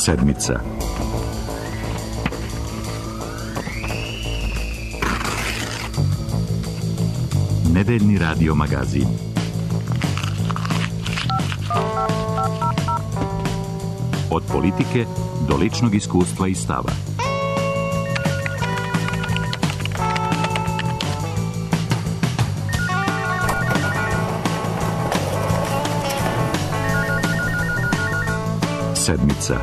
Sedmica. Nedeljni radio magazin. Od politike do ličnog iskustva i stava. Sedmica.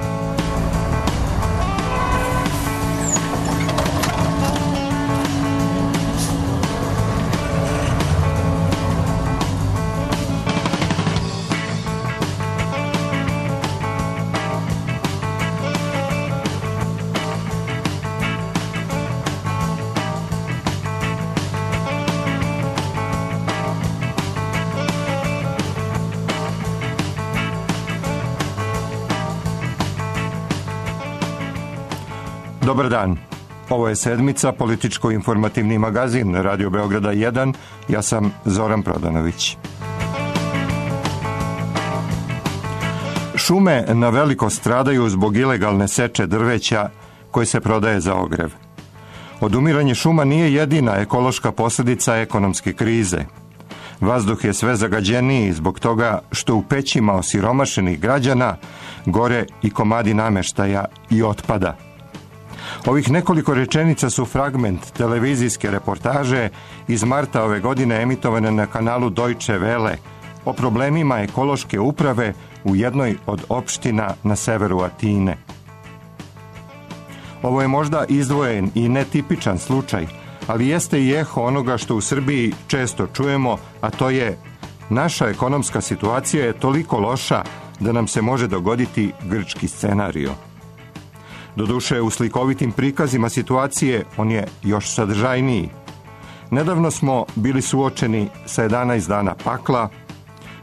Dobar dan. Ovo je Sedmica, političko-informativni magazin Radio Beograda 1. Ja sam Zoran Prodanović. Šume na veliko stradaju zbog ilegalne seče drveća koje se prodaje za ogrev. Odumiranje šuma nije jedina ekološka posljedica ekonomske krize. Vazduh je sve zagađeniji zbog toga što u pećima osiromašenih građana gore i komadi nameštaja i otpada. Ovih nekoliko rečenica su fragment televizijske reportaže iz marta ove godine emitovane na kanalu Deutsche Welle o problemima ekološke uprave u jednoj od opština na severu Atine. Ovo je možda izdvojen i netipičan slučaj, ali jeste i eho onoga što u Srbiji često čujemo, a to je: naša ekonomska situacija je toliko loša da nam se može dogoditi grčki scenario. Doduše, u slikovitim prikazima situacije on je još sadržajniji. Nedavno smo bili suočeni sa 11 dana pakla,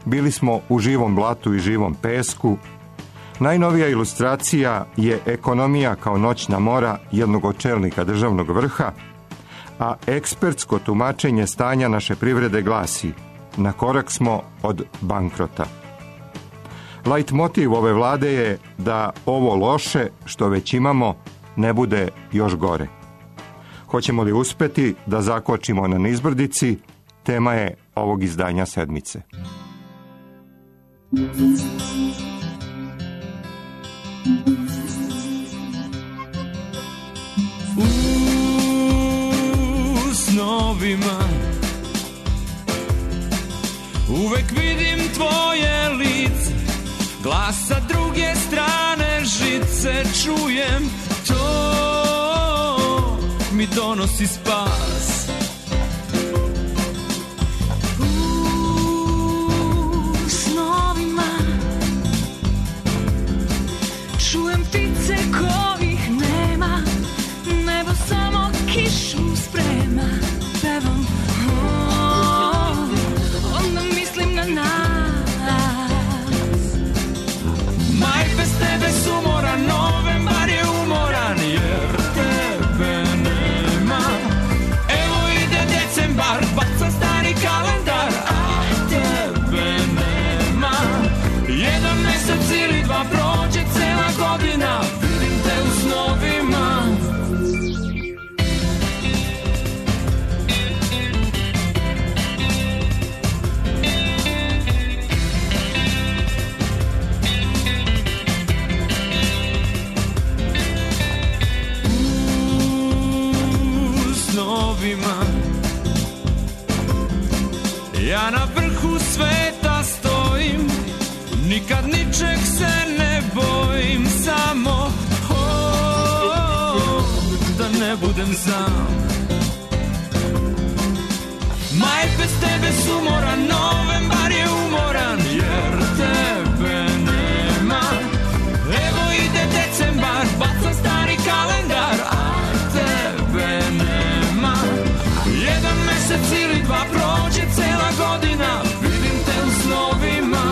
bili smo u živom blatu i živom pesku. Najnovija ilustracija je ekonomija kao noćna mora jednog od čelnika državnog vrha, a ekspertsko tumačenje stanja naše privrede glasi: na korak smo od bankrota. Lajt motiv ove vlade je da ovo loše što već imamo ne bude još gore. Hoćemo li uspeti da zakočimo na nizbrdici? Tema je ovog izdanja Sedmice. U snovima uvek vidim tvoje lice, glas sa druge strane žice čujem, to mi donosi spas. U snovima čujem ptice kojih nema, nebo samo kišu sprema, pevam, onda mislim na nas. Maj bez tebe sumoran, novembar je umoran, jer tebe nema. Evo ide decembar, baca stari kalendar, a tebe nema. Jedan mesec ili dva prođe cela godina, vidim te u snovima. Ja na vrhu sveta stojim, nikad ničeg se ne bojim, samo da ne budem sam. Maj bez tebe sumoran, novembar je umoran, jer tebe nema. Evo ide decembar, baca stari kalendar, a tebe nema. Jedan mesec ili dva prođe cela godina, vidim te u snovima.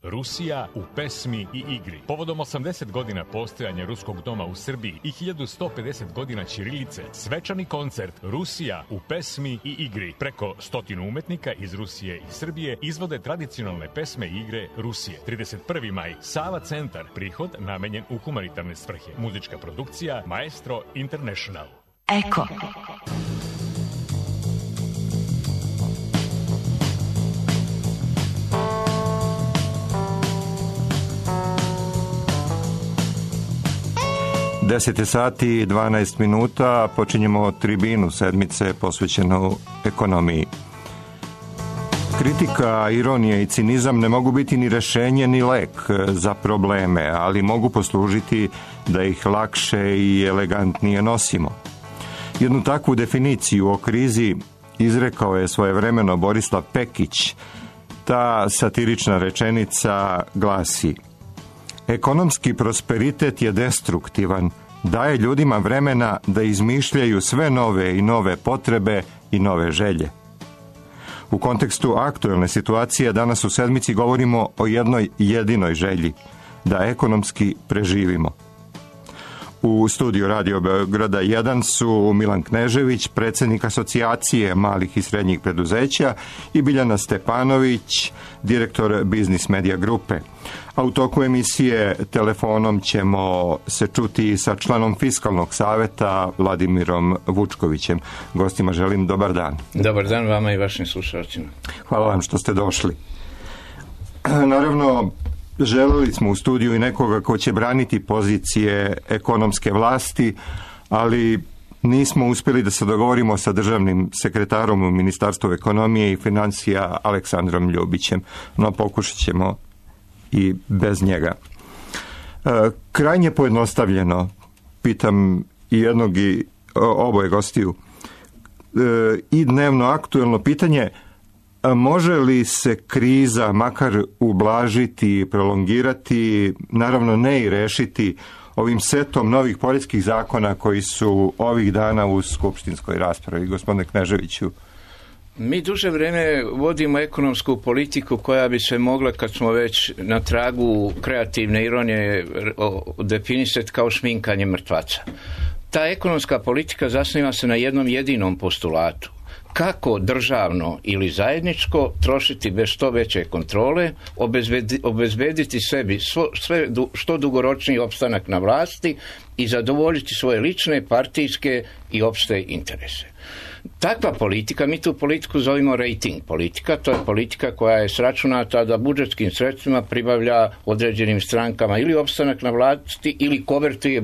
Rusija u pesmi i igri. Povodom 80 godina postojanja Ruskog doma u Srbiji i 1150 godina ćirilice, svečani koncert Rusija u pesmi i igri. Preko 100 umetnika iz Rusije i Srbije izvode tradicionalne pesme i igre Rusije. 31. maj, Sava centar, prihod namenjen u humanitarne svrhe. Muzička produkcija Maestro International. Eko. Deset sati i 12 minuta, počinjemo tribinu sedmice posvećenu ekonomiji. Kritika, ironija i cinizam ne mogu biti ni rešenje ni lek za probleme, ali mogu poslužiti da ih lakše i elegantnije nosimo. Jednu takvu definiciju o krizi izrekao je svojevremeno Borislav Pekić. Ta satirična rečenica glasi: ekonomski prosperitet je destruktivan, daje ljudima vremena da izmišljaju sve nove i nove potrebe i nove želje. U kontekstu aktuelne situacije danas u sedmici govorimo o jednoj jedinoj želji, da ekonomski preživimo. U studiju Radio Beograda 1 su Milan Knežević, predsjednik Asocijacije malih i srednjih preduzeća, i Biljana Stepanović, direktor Biznis Media grupe. A u toku emisije telefonom ćemo se čuti sa članom Fiskalnog saveta Vladimirom Vučkovićem. Gostima želim dobar dan. Dobar dan vama i vašim slušalcima. Hvala vam što ste došli. Naravno, želeli smo u studiju i nekoga ko će braniti pozicije ekonomske vlasti, ali nismo uspjeli da se dogovorimo sa državnim sekretarom u Ministarstvu ekonomije i financija Aleksandrom Ljubićem, no pokušat ćemo i bez njega. Krajnje pojednostavljeno, pitam i jednog i oboje gostiju, i dnevno aktuelno pitanje: može li se kriza makar ublažiti, prolongirati, naravno ne i rešiti ovim setom novih poreskih zakona koji su ovih dana u skupštinskoj raspravi? Gospodine Kneževiću. Mi duže vrijeme vodimo ekonomsku politiku koja bi se mogla, kad smo već na tragu kreativne ironije, definisati kao šminkanje mrtvaca. Ta ekonomska politika zasniva se na jednom jedinom postulatu: kako državno ili zajedničko trošiti bez što veće kontrole, obezbediti sebi što dugoročniji opstanak na vlasti i zadovoljiti svoje lične, partijske i opšte interese. Takva politika, mi tu politiku zovemo rating politika, to je politika koja je sračunata da budžetskim sredstvima pribavlja određenim strankama ili opstanak na vlasti ili konvertuje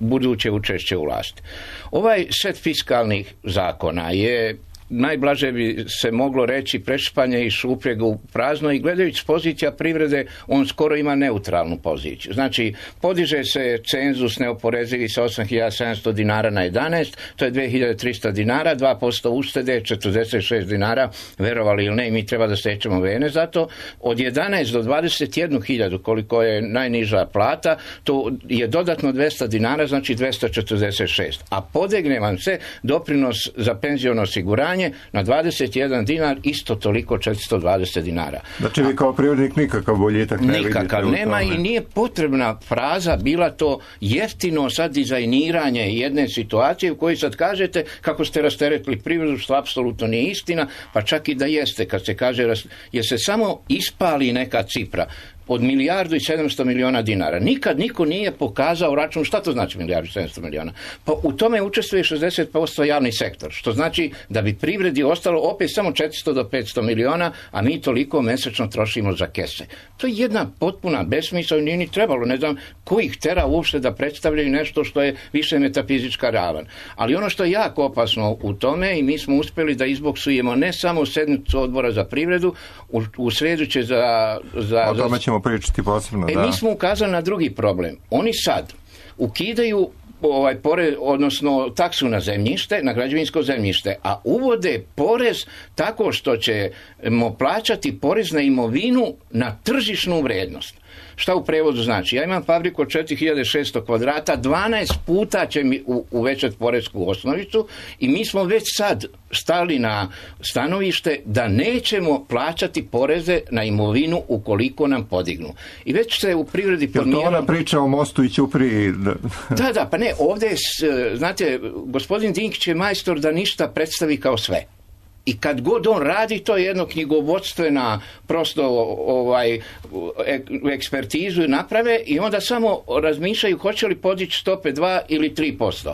buduće učešće u vlasti. Ovaj set fiskalnih zakona je, najblaže bi se moglo reći, prešpanje i šupljega u prazno, i gledajući s pozicija privrede on skoro ima neutralnu poziciju. Znači, podiže se cenzus neoporezivi sa 8.700 dinara na 11, to je 2.300 dinara, 2% uštede, 46 dinara, verovali ili ne, i mi treba da stečemo vene za to. Od 11 do 21.000, koliko je najniža plata, to je dodatno 200 dinara, znači 246. A podegne vam se doprinos za penziono osiguranje na 21 dinar, isto toliko 420 dinara. Znači vi kao privrednik nikakav boljitak ne vidite? Nikakav nema i nije potrebna fraza bila to jeftino sad dizajniranje jedne situacije u kojoj sad kažete kako ste rasteretili privredu, što apsolutno nije istina, pa čak i da jeste, kad se kaže jer se samo ispali neka cifra od 1.700 miliona dinara. Nikad niko nije pokazao račun. Šta to znači 1.700 miliona? Pa u tome učestvuje 60% javni sektor, što znači da bi privredi ostalo opet samo 400 do 500 miliona, a mi toliko mesečno trošimo za kese. To je jedna potpuna besmisao i nije ni trebalo. Ne znam ko ih tera uopšte da predstavljaju nešto što je više metafizička ravan. Ali ono što je jako opasno u tome, i mi smo uspjeli da izboksujemo ne samo sednicu odbora za privredu, u sredu će o tome ćemo pričati posebno. Mi smo ukazali na drugi problem. Oni sad ukidaju porez, odnosno taksu na zemljište, na građevinsko zemljište, a uvode porez tako što ćemo plaćati porez na imovinu na tržišnu vrednost. Šta u prevodu znači? Ja imam fabriku od 4600 kvadrata, 12 puta će mi uvećati poresku osnovicu i mi smo već sad stali na stanovište da nećemo plaćati poreze na imovinu ukoliko nam podignu. I već se u privredi podmijenilo... Je to ona priča o mostu i Ćupriji? Da, pa ne, ovdje, znate, gospodin Dinkić je majstor da ništa predstavi kao sve. I kad god on radi, to je jedno knjigovodstvena prosto ekspertizu naprave i onda samo razmišljaju hoće li podići stope 2 ili 3%.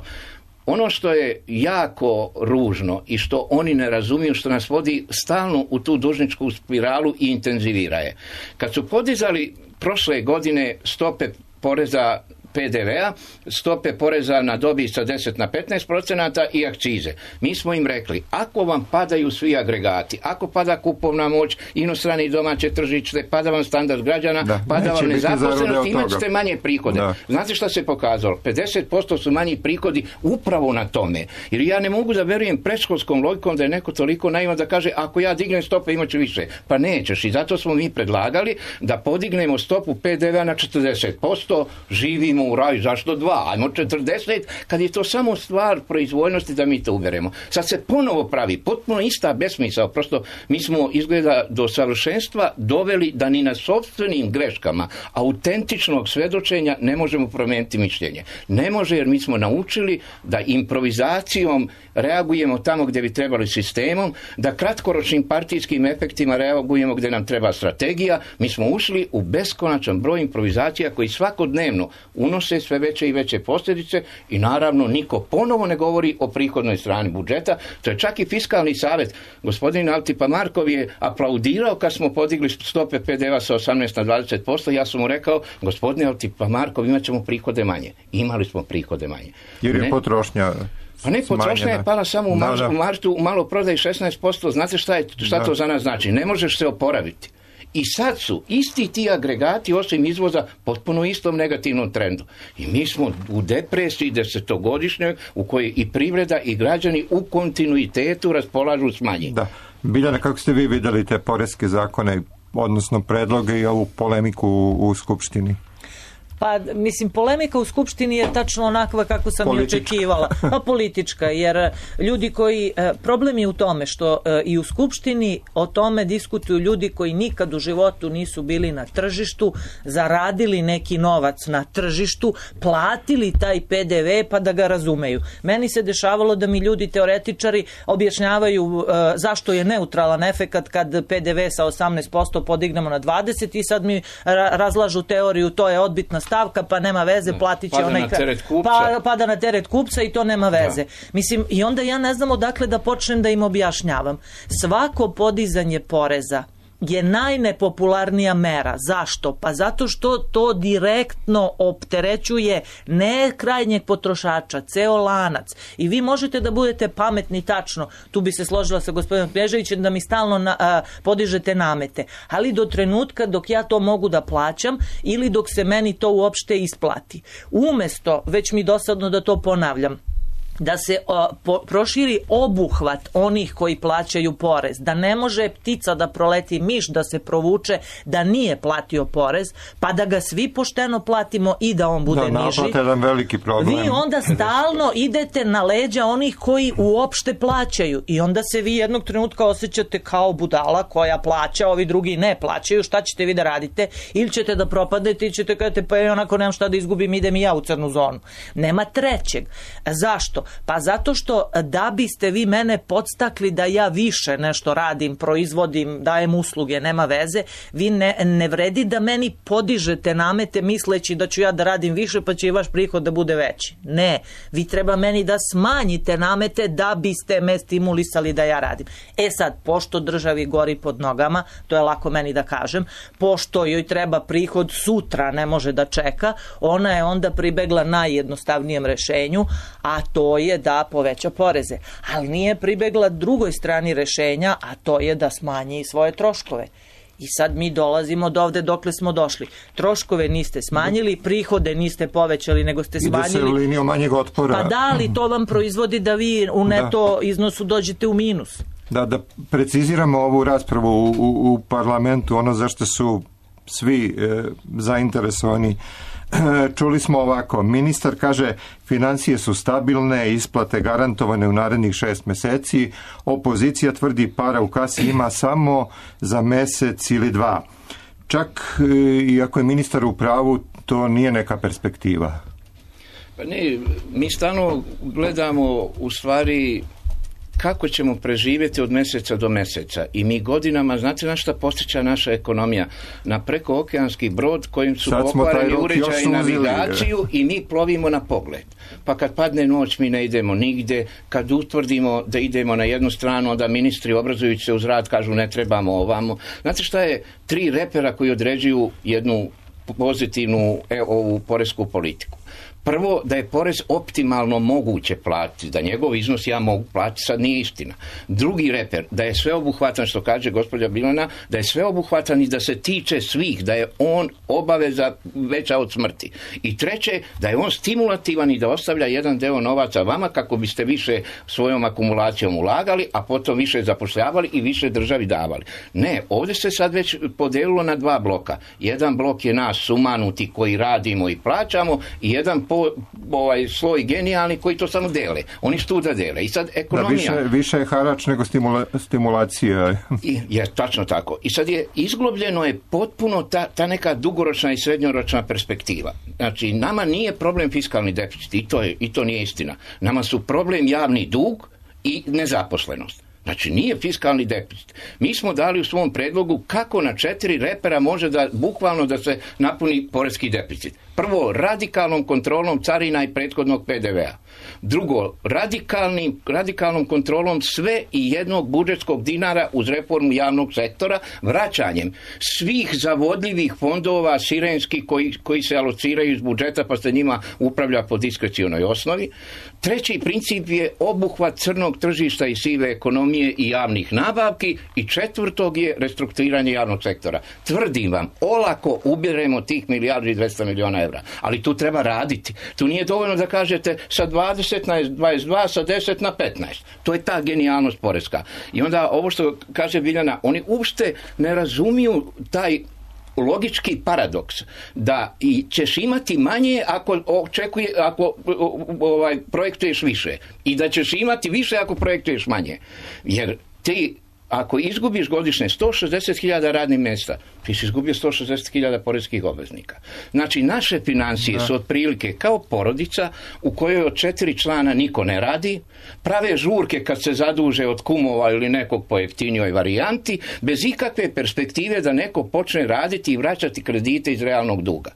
Ono što je jako ružno i što oni ne razumiju, što nas vodi stalno u tu dužničku spiralu i intenzivira je. Kad su podizali prošle godine stope poreza PDV-a, stope poreza na dobit sa 10 na 15% i akcize. Mi smo im rekli, ako vam padaju svi agregati, ako pada kupovna moć, inostrane i domaće tržište, pada vam standard građana, pada vam nezaposlenost, imat ćete manje prihode. Da. Znate šta se pokazalo? 50% su manji prihodi upravo na tome. Jer ja ne mogu da verujem predškolskom logikom da je neko toliko naivan da kaže, ako ja dignem stope imat ću više. Pa nećeš. I zato smo mi predlagali da podignemo stopu PDV-a na 40%, živimo u raju, zašto 2? Ajmo 40, kad je to samo stvar proizvoljnosti da mi to uberemo. Sad se ponovo pravi potpuno ista besmisao, prosto mi smo izgleda do savršenstva doveli da ni na sopstvenim greškama autentičnog svedočenja ne možemo promijeniti mišljenje. Ne može, jer mi smo naučili da improvizacijom reagujemo tamo gdje bi trebali sistemom, da kratkoročnim partijskim efektima reagujemo gdje nam treba strategija. Mi smo ušli u beskonačan broj improvizacija koji svakodnevno unose sve veće i veće posljedice i naravno niko ponovo ne govori o prihodnoj strani budžeta. To je čak i Fiskalni savjet. Gospodin Altipa Markov je aplaudirao kad smo podigli stope PDV-a sa 18 na 20%. Ja sam mu rekao, gospodine Altipa Markov, imat ćemo prihode manje. Imali smo prihode manje. Jer je potrošnja... Pa ne, potrošnja je pala samo u martu, u maloprodaji 16%. Znate šta to za nas znači? Ne možeš se oporaviti. I sad su isti ti agregati osim izvoza potpuno istom negativnom trendu. I mi smo u depresiji 10-godišnjoj u kojoj i privreda i građani u kontinuitetu raspolažu s manje. Da. Biljana, kako ste vi vidjeli te poreske zakone, odnosno predloge i ovu polemiku u Skupštini? Pa, mislim, polemika u Skupštini je tačno onakva kako sam i očekivala. Pa politička, jer ljudi koji... Problem je u tome što i u Skupštini o tome diskutuju ljudi koji nikad u životu nisu bili na tržištu, zaradili neki novac na tržištu, platili taj PDV pa da ga razumeju. Meni se dešavalo da mi ljudi teoretičari objašnjavaju zašto je neutralan efekat kad PDV sa 18% podignemo na 20% i sad mi razlažu teoriju, to je odbitna stavka, pa nema veze, platit će onaj pada na teret kupca i to nema veze. Mislim, i onda ja ne znam odakle da počnem da im objašnjavam. Svako podizanje poreza je najnepopularnija mera. Zašto? Pa zato što to direktno opterećuje ne krajnjeg potrošača, ceo lanac. I vi možete da budete pametni tačno, tu bi se složila sa gospodinom Kneževićem, da mi stalno podižete namete. Ali do trenutka dok ja to mogu da plaćam ili dok se meni to uopšte isplati. Umesto, već mi dosadno da to ponavljam, da se proširi obuhvat onih koji plaćaju porez, da ne može ptica da proleti miš da se provuče da nije platio porez, pa da ga svi pošteno platimo i da on bude niži. Jedan veliki problem. Vi onda stalno idete na leđa onih koji uopšte plaćaju i onda se vi jednog trenutka osjećate kao budala koja plaća, ovi drugi ne plaćaju. Šta ćete vi da radite? Ili ćete da propadete ili ćete kažete pa ja onako nemam šta da izgubim, idem i ja u crnu zonu. Nema trećeg. Zašto? Pa zato što da biste vi mene podstakli da ja više nešto radim, proizvodim, dajem usluge, nema veze, vi ne vredi da meni podižete namete misleći da ću ja da radim više pa će i vaš prihod da bude veći. Ne, vi treba meni da smanjite namete da biste me stimulisali da ja radim. E sad, pošto državi gori pod nogama, to je lako meni da kažem, pošto joj treba prihod sutra, ne može da čeka, ona je onda pribegla najjednostavnijem rešenju, a to je da poveća poreze. Ali nije pribegla drugoj strani rešenja, a to je da smanji svoje troškove. I sad mi dolazimo do ovde dokle smo došli. Troškove niste smanjili, prihode niste povećali, nego ste smanjili. Ide se linijom manjeg otpora. Pa da, ali to vam proizvodi da vi u neto iznosu dođete u minus. Da preciziramo ovu raspravu u parlamentu, ono zašto su svi zainteresovani. Čuli smo ovako, ministar kaže financije su stabilne, isplate garantovane u narednih 6 meseci, opozicija tvrdi para u kasi ima samo za mesec ili 2. Čak i ako je ministar u pravu, to nije neka perspektiva. Pa ne, mi stalno gledamo u stvari kako ćemo preživjeti od mjeseca do mjeseca i mi godinama, znate na šta postiče naša ekonomija? Na prekookeanski brod kojim su pokvareni uređaji navigaciju i mi plovimo na pogled. Pa kad padne noć mi ne idemo nigde, kad utvrdimo da idemo na jednu stranu, onda ministri obrazujući se uz rad kažu ne trebamo ovamo. Znate šta je 3 repera koji određuju jednu pozitivnu ovu poresku politiku? Prvo, da je porez optimalno moguće platiti, da njegov iznos ja mogu platiti, sad nije istina. Drugi reper, da je sveobuhvatan, što kaže gospođa Bilana, da je sveobuhvatan i da se tiče svih, da je on obaveza veća od smrti. I treće, da je on stimulativan i da ostavlja jedan deo novaca vama kako biste više svojom akumulacijom ulagali, a potom više zapošljavali i više državi davali. Ne, ovdje se sad već podelilo na 2 bloka. Jedan blok je nas sumanuti koji radimo i plaćamo i jedan sloj genijalni koji to samo dele. Oni su tu da dele. I sad ekonomija... Da, više je harač nego stimulacija. Je, tačno tako. I sad je izglobljeno je potpuno ta neka dugoročna i srednjoročna perspektiva. Znači, nama nije problem fiskalni deficit i to nije istina. Nama su problem javni dug i nezaposlenost. Znači, nije fiskalni deficit. Mi smo dali u svom predlogu kako na 4 repera može bukvalno da se napuni poreski deficit. Prvo, radikalnom kontrolom carina i prethodnog PDV-a. Drugo, radikalnom kontrolom sve i jednog budžetskog dinara uz reformu javnog sektora, vraćanjem svih zavodljivih fondova sirenskih koji se alociraju iz budžeta pa se njima upravlja po diskrecionoj osnovi. Treći princip je obuhvat crnog tržišta i sive ekonomije i javnih nabavki i četvrtog je restrukturiranje javnog sektora. Tvrdim vam, olako ubiremo tih 1,2 milijarde evra, ali tu treba raditi. Tu nije dovoljno da kažete sa 20 na 22, sa 10 na 15. To je ta genijalnost poreska. I onda ovo što kaže Biljana, oni uopšte ne razumiju taj logički paradoks da i ćeš imati manje ako projektuješ više i da ćeš imati više ako projektuješ manje. Jer ti ako izgubiš godišnje 160.000 radnih mjesta, ti si izgubio 160.000 poreskih obveznika. Znači, naše financije su otprilike kao porodica u kojoj od 4 člana niko ne radi, prave žurke kad se zaduže od kumova ili nekog po jeftinijoj varijanti, bez ikakve perspektive da neko počne raditi i vraćati kredite iz realnog duga.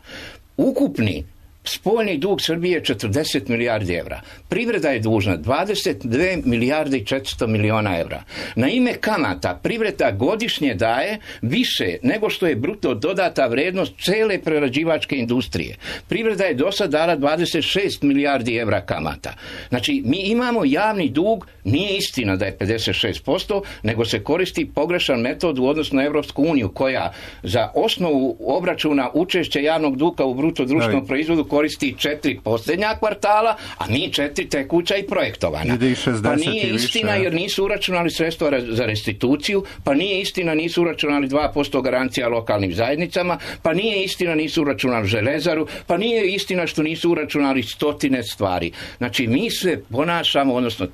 Ukupni spoljni dug Srbije je 40 milijardi evra. Privreda je dužna 22 milijarde i 400 miliona evra. Na ime kamata privreda godišnje daje više nego što je bruto dodata vrednost cele prerađivačke industrije. Privreda je do sad dala 26 milijardi evra kamata. Znači, mi imamo javni dug, nije istina da je 56%, nego se koristi pogrešan metod u odnosu na Evropsku uniju, koja za osnovu obračuna učešća javnog duga u bruto društvenom proizvodu koristi 4 posljednja kvartala, a mi 4 tekuća i projektovana. Pa nije istina jer nisu uračunali sredstva za restituciju, pa nije istina nisu uračunali 2% garancija lokalnim zajednicama, pa nije istina nisu uračunali železaru, pa nije istina što nisu uračunali stotine stvari. Znači, mi se ponašamo, odnosno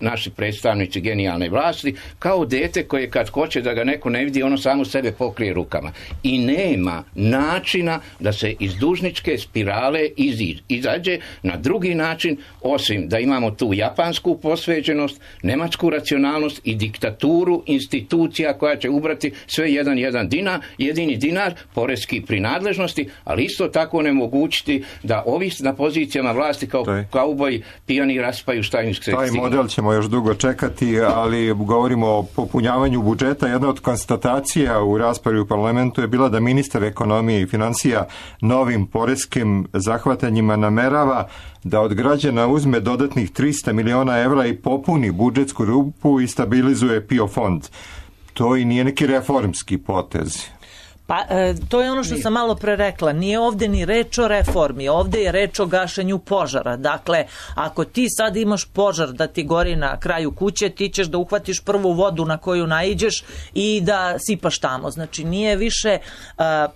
naši predstavnici genijalne vlasti, kao dete koje kad hoće da ga neko ne vidi, ono samo sebe pokrije rukama. I nema načina da se iz dužničke spirale izađe na drugi način, osim da imamo tu japansku posvećenost, nemačku racionalnost i diktaturu institucija koja će ubrati sve jedini dinar poreski prinadležnosti, ali isto tako onemogućiti da ovi na pozicijama vlasti kao kauboji pijani raspaju štajinske stine. Taj model ćemo još dugo čekati, ali govorimo o popunjavanju budžeta. Jedna od konstatacija u raspravi u parlamentu je bila da ministar ekonomije i financija novim poreskim zahvatanjima namerava da od građana uzme dodatnih 300 miliona evra i popuni budžetsku rupu i stabilizuje PIO fond. To i nije neki reformski potez. Pa to je ono što sam malo pre rekla, nije ovde ni reč o reformi, ovde je reč o gašenju požara. Dakle, ako ti sad imaš požar da ti gori na kraju kuće, ti ćeš da uhvatiš prvu vodu na koju naiđeš i da sipaš tamo. Znači nije više,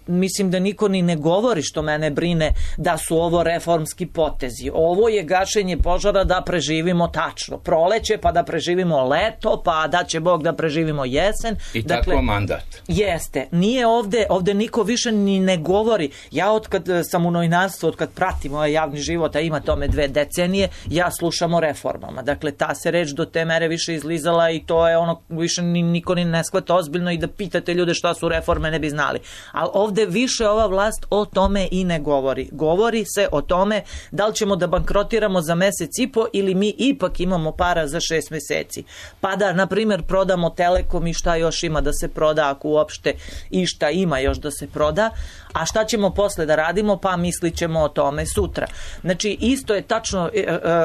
mislim da niko ni ne govori, što mene brine, da su ovo reformski potezi. Ovo je gašenje požara da preživimo tačno proleće, pa da preživimo leto, pa da će Bog da preživimo jesen. I tako mandat. Jeste, nije ovde niko više ni ne govori. Ja od kad sam u novinarstvu, od kad pratim ovaj javni život, a ima tome 2 decenije, ja slušam o reformama. Dakle, ta se reč do te mere više izlizala i to je ono, više niko ni ne shvata ozbiljno i da pitate ljude šta su reforme ne bi znali. Ali ovde više ova vlast o tome i ne govori. Govori se o tome da li ćemo da bankrotiramo za mesec i po ili mi ipak imamo para za 6 meseci. Pa da, na primjer, prodamo Telekom i šta još ima da se proda, ako uopšte išta ima još da se proda, a šta ćemo posle da radimo, pa mislit ćemo o tome sutra. Znači, isto je tačno,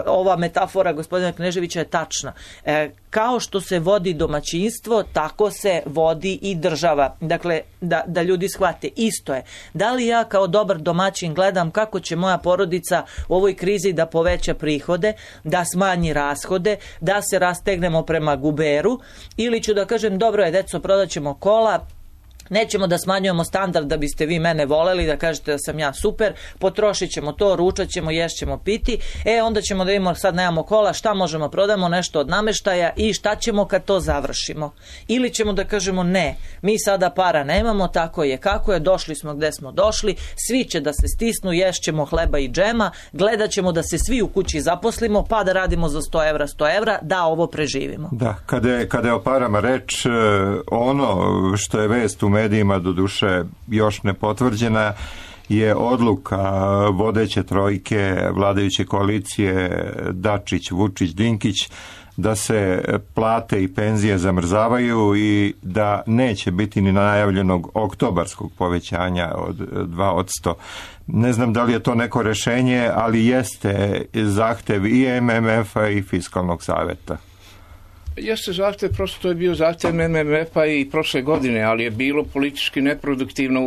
ova metafora gospodina Kneževića je tačna. Kao što se vodi domaćinstvo, tako se vodi i država. Dakle, da ljudi shvate, isto je. Da li ja kao dobar domaćin gledam kako će moja porodica u ovoj krizi da poveća prihode, da smanji rashode, da se rastegnemo prema guberu, ili ću da kažem, dobro je, deco, prodaćemo kola, nećemo da smanjujemo standard da biste vi mene voleli, da kažete da sam ja super, potrošit ćemo to, ručat ćemo, ješćemo, piti, onda ćemo da imamo, sad nemamo kola, šta možemo, prodamo nešto od nameštaja i šta ćemo kad to završimo. Ili ćemo da kažemo ne, mi sada para nemamo, tako je kako je, došli smo gde smo došli, svi će da se stisnu, ješćemo hleba i džema, gledat ćemo da se svi u kući zaposlimo, pa da radimo za 100 evra, da ovo preživimo. Da, kada je o parama reč, ono što je vest u medijima, do duše još nepotvrđena, je odluka vodeće trojke vladajuće koalicije Dačić, Vučić, Dinkić da se plate i penzije zamrzavaju i da neće biti ni najavljenog oktobarskog povećanja od 2%. Ne znam da li je to neko rešenje, ali jeste zahtev i MMF-a i Fiskalnog saveta. Jeste zahtev, prosto to je bio zahtev MMF-a i prošle godine, ali je bilo politički neproduktivno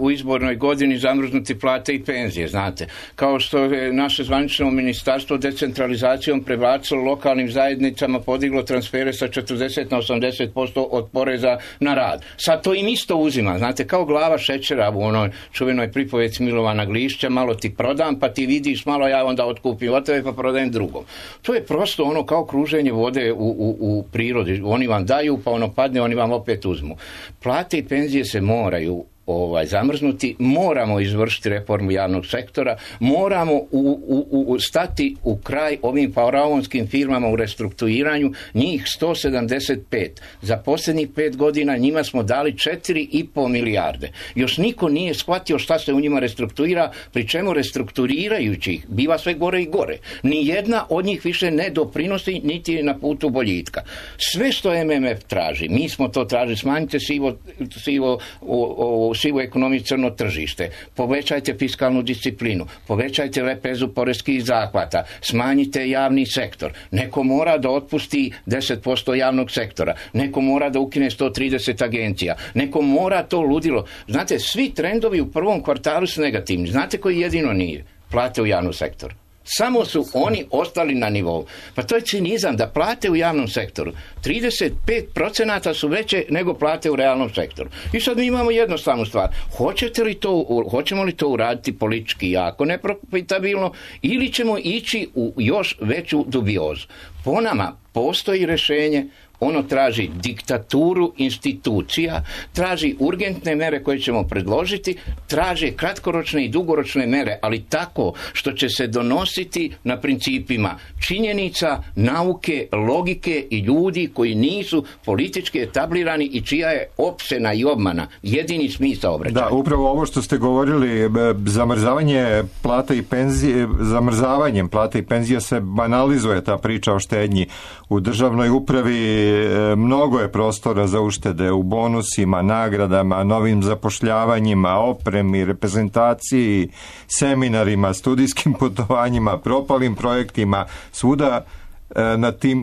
u izbornoj godini zamrznuti plate i penzije, znate. Kao što je naše zvanično ministarstvo decentralizacijom prebacilo lokalnim zajednicama, podiglo transfere sa 40 na 80% od poreza na rad. Sad to im isto uzima, znate, kao glava šećera u onoj čuvenoj pripovjeci Milovana Glišća, malo ti prodam, pa ti vidiš, malo ja onda otkupim od tebe pa prodajem drugom. To je prosto ono kao kruženje vode u prirodi. Oni vam daju, pa ono padne, oni vam opet uzmu. Plate i penzije se moraju zamrznuti, moramo izvršiti reformu javnog sektora, moramo stati u kraj ovim faraonskim firmama u restrukturiranju, njih 175. Za posljednjih 5 godina njima smo dali 4,5 milijarde. Još niko nije shvatio šta se u njima restrukturira, pri čemu restrukturirajući ih biva sve gore i gore. Nijedna od njih više ne doprinosi, niti je na putu boljitka. Sve što MMF traži, mi smo to tražili, smanjite sivu ekonomiju, crno tržište, povećajte fiskalnu disciplinu, povećajte lepezu poreskih zahvata, smanjite javni sektor. Neko mora da otpusti 10% javnog sektora, neko mora da ukine 130 agencija, neko mora to ludilo. Znate, svi trendovi u prvom kvartalu su negativni. Znate koji jedino nije? Plate u javnom sektoru. Samo su oni ostali na nivou. Pa to je cinizam da plate u javnom sektoru 35% su veće nego plate u realnom sektoru. I sad mi imamo jednostavnu stvar. Hoćemo li to uraditi politički jako neprofitabilno ili ćemo ići u još veću dubiozu? Po nama postoji rješenje. Ono traži diktaturu institucija, traži urgentne mere koje ćemo predložiti, traži kratkoročne i dugoročne mere, ali tako što će se donositi na principima činjenica, nauke, logike i ljudi koji nisu politički etablirani i čija je opsena i obmana jedini smisao obraćanja. Da, upravo ovo što ste govorili, zamrzavanjem plata i penzija se banalizuje ta priča o štednji u državnoj upravi. Mnogo je prostora za uštede u bonusima, nagradama, novim zapošljavanjima, opremi, reprezentaciji, seminarima, studijskim putovanjima, propalim projektima, svuda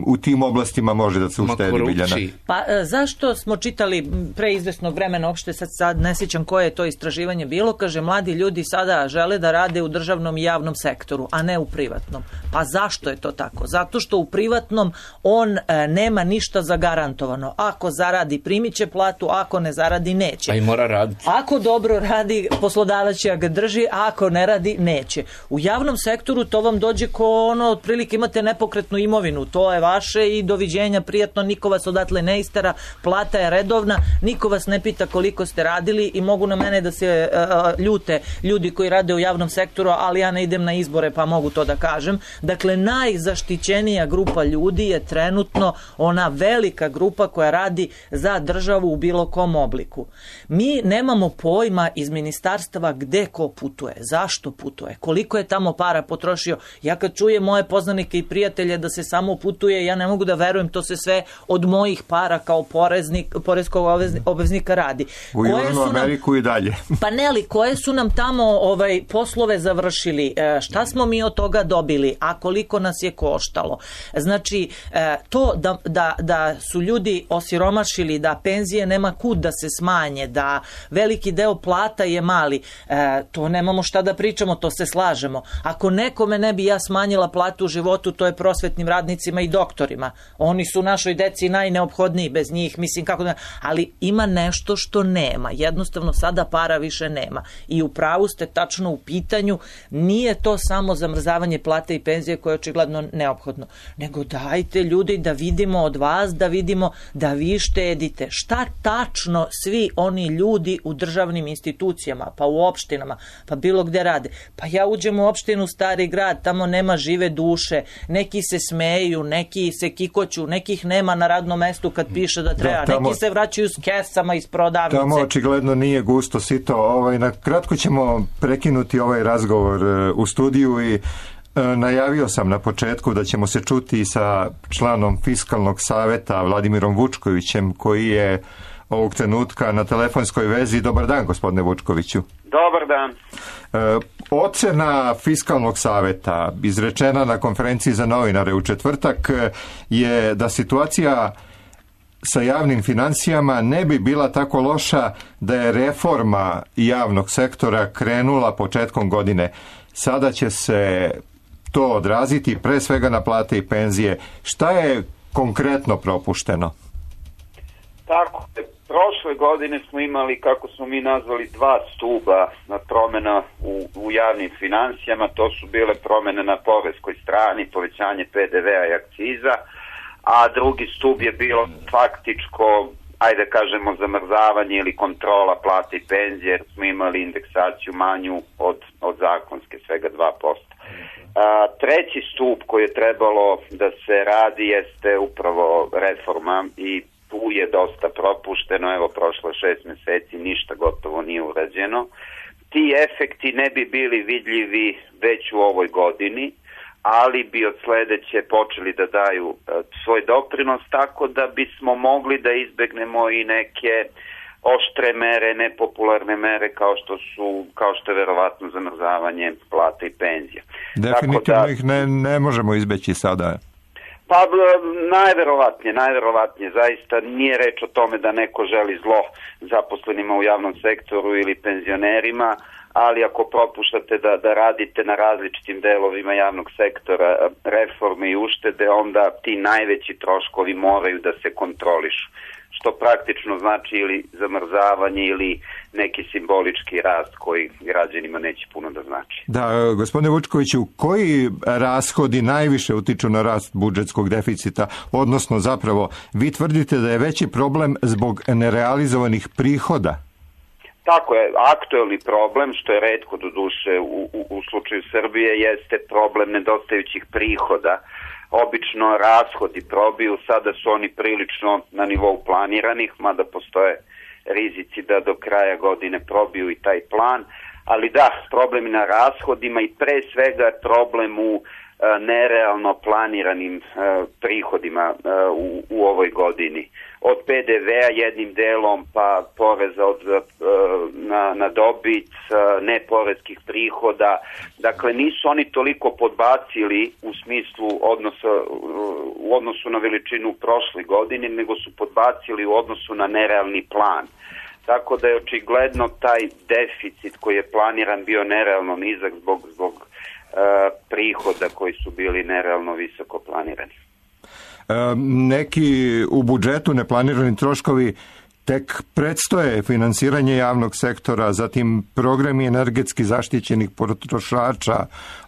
u tim oblastima može da se uštedi, Biljana? Pa zašto smo čitali pre izvesnog vremena, uopšte sad ne sjećam koje je to istraživanje bilo, kaže mladi ljudi sada žele da rade u državnom i javnom sektoru, a ne u privatnom. Pa zašto je to tako? Zato što u privatnom on nema ništa zagarantovano. Ako zaradi primit će platu, ako ne zaradi neće. Pa i mora raditi. Ako dobro radi, poslodavac će ga drži, a ako ne radi, neće. U javnom sektoru to vam dođe ko ono, otprilike imate nepokretnu imovinu, to je vaše i doviđenja, prijatno, niko vas odatle ne istera, plata je redovna, niko vas ne pita koliko ste radili i mogu na mene da se ljute ljudi koji rade u javnom sektoru, ali ja ne idem na izbore pa mogu to da kažem. Dakle, najzaštićenija grupa ljudi je trenutno ona velika grupa koja radi za državu u bilo kom obliku. Mi nemamo pojma iz ministarstva gde ko putuje, zašto putuje, koliko je tamo para potrošio. Ja kad čujem moje poznanike i prijatelje da se samo putuje, ja ne mogu da verujem, to se sve od mojih para kao poreskog obveznika radi. U Južnu Ameriku i dalje. Pa ne, ali koje su nam tamo poslove završili, šta smo mi od toga dobili, a koliko nas je koštalo. Znači, to da su ljudi osiromašili, da penzije nema kud da se smanje, da veliki deo plata je mali, to nemamo šta da pričamo, to se slažemo. Ako nekome ne bi ja smanjila platu u životu, to je prosvetnim radnicima i doktorima. Oni su našoj deci najneophodniji, bez njih, mislim kako da... Ali ima nešto što nema. Jednostavno sada para više nema. I u pravu ste tačno u pitanju, nije to samo zamrzavanje plate i penzije koje je očigledno neophodno. Nego dajte ljudi da vidimo od vas, da vidimo da vi štedite. Šta tačno svi oni ljudi u državnim institucijama, pa u opštinama, pa bilo gde rade. Pa ja uđem u opštinu Stari Grad, tamo nema žive duše, neki se smeju, neki se kikoću, nekih nema na radnom mestu kad piše da treba, neki se vraćaju s kesama iz prodavnice. Tamo očigledno nije gusto sito. Na kratko ćemo prekinuti ovaj razgovor u studiju i najavio sam na početku da ćemo se čuti sa članom Fiskalnog saveta Vladimirom Vučkovićem, koji je ovog trenutka na telefonskoj vezi. Dobar dan, gospodine Vučkoviću. Dobar dan. Ocena Fiskalnog saveta izrečena na konferenciji za novinare u četvrtak je da situacija sa javnim financijama ne bi bila tako loša da je reforma javnog sektora krenula početkom godine. Sada će se to odraziti pre svega na plate i penzije. Šta je konkretno propušteno? Tako, prošle godine smo imali, kako smo mi nazvali, dva stuba na promjena u javnim financijama. To su bile promjene na poreskoj strani, povećanje PDV-a i akciza, a drugi stub je bilo faktičko, ajde kažemo, zamrzavanje ili kontrola plate i penzije, jer smo imali indeksaciju manju od zakonske, svega 2%. Treći stup koji je trebalo da se radi jeste upravo reforma i tu je dosta propušteno, evo prošlo 6 mjeseci, ništa gotovo nije urađeno. Ti efekti ne bi bili vidljivi već u ovoj godini, ali bi od sledeće počeli da daju svoj doprinos, tako da bismo mogli da izbegnemo i neke oštre mere, nepopularne mere kao što je verovatno zamrzavanje plata i penzija. Definitivno ih ne možemo izbeći sada. Pa najverovatnije, zaista nije reč o tome da neko želi zlo zaposlenima u javnom sektoru ili penzionerima, ali ako propuštate da radite na različitim delovima javnog sektora reforme i uštede, onda ti najveći troškovi moraju da se kontrolišu, što praktično znači ili zamrzavanje ili neki simbolički rast koji građanima neće puno da znači. Da, gospodine Vučkoviću, koji rashodi najviše utiču na rast budžetskog deficita, odnosno zapravo vi tvrdite da je veći problem zbog nerealizovanih prihoda? Tako je, aktuelni problem, što je retko doduše u slučaju Srbije, jeste problem nedostajućih prihoda. Obično rashodi probiju, sada su oni prilično na nivou planiranih, mada postoje rizici da do kraja godine probiju i taj plan, Ali da, problem na rashodima i pre svega problem u nerealno planiranim prihodima u ovoj godini. Od PDV-a jednim delom, pa poreza na dobit, neporeskih prihoda. Dakle, nisu oni toliko podbacili u smislu u odnosu na veličinu prošle godine, nego su podbacili u odnosu na nerealni plan. Tako da je očigledno taj deficit koji je planiran bio nerealno nizak zbog prihoda koji su bili nerealno visoko planirani. Neki u budžetu neplanirani troškovi tek predstoje, finansiranje javnog sektora, zatim programi energetski zaštićenih potrošača,